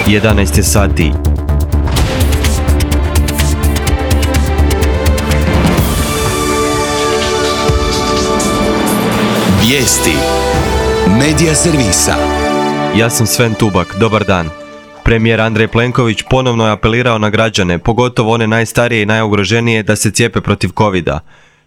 11 je sati. Vijesti Medija servisa. Ja sam Sven Tubak, dobar dan. Premijer Andrej Plenković ponovno je apelirao na građane, pogotovo one najstarije i najugroženije, da se cijepe protiv covida.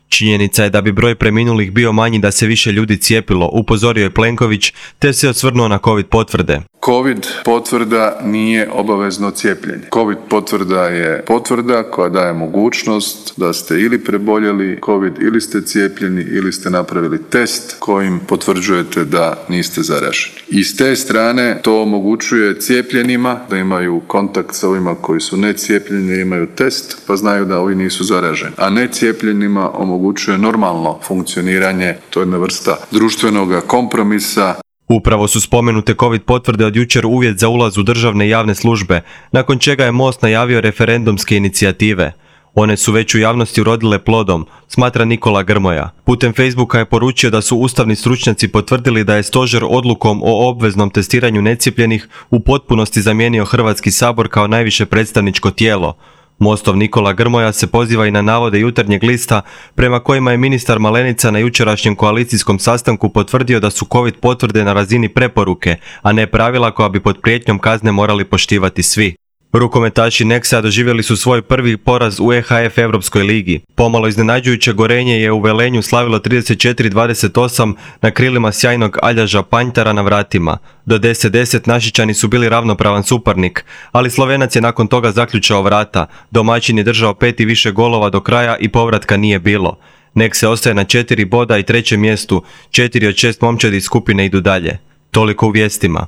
Činjenica je da bi broj preminulih bio manji da se više ljudi cijepilo, upozorio je Plenković, te se osvrnuo na covid potvrde. Covid potvrda nije obavezno cijepljenje. Covid potvrda je potvrda koja daje mogućnost da ste ili preboljeli Covid ili ste cijepljeni ili ste napravili test kojim potvrđujete da niste zaraženi. I s te strane to omogućuje cijepljenima da imaju kontakt sa ovima koji su necijepljeni, imaju test pa znaju da ovi nisu zaraženi. A necijepljenima omogućuje normalno funkcioniranje, to je jedna vrsta društvenoga kompromisa. Upravo su spomenute covid potvrde od jučer uvjet za ulaz u državne i javne službe, nakon čega je MOST najavio referendumske inicijative. One su već u javnosti urodile plodom, smatra Nikola Grmoja. Putem Facebooka je poručio da su ustavni stručnjaci potvrdili da je stožer odlukom o obveznom testiranju necijepljenih u potpunosti zamijenio Hrvatski sabor kao najviše predstavničko tijelo. MOST-ov Nikola Grmoja se poziva i na navode Jutarnjeg lista prema kojima je ministar Malenica na jučerašnjem koalicijskom sastanku potvrdio da su covid potvrde na razini preporuke, a ne pravila koja bi pod prijetnjom kazne morali poštivati svi. Rukometaši Nexa doživjeli su svoj prvi poraz u EHF Europskoj ligi. Pomalo iznenađujuće Gorenje je u Velenju slavilo 34-28 na krilima sjajnog Aljaža Panjtara na vratima. Do 10-10 Našičani su bili ravnopravan suparnik, ali Slovenac je nakon toga zaključao vrata. Domaćin je držao 5 i više golova do kraja i povratka nije bilo. Nexe ostaje na 4 boda i trećem mjestu, 4 od 6 momčadi iz skupine idu dalje. Toliko u vijestima.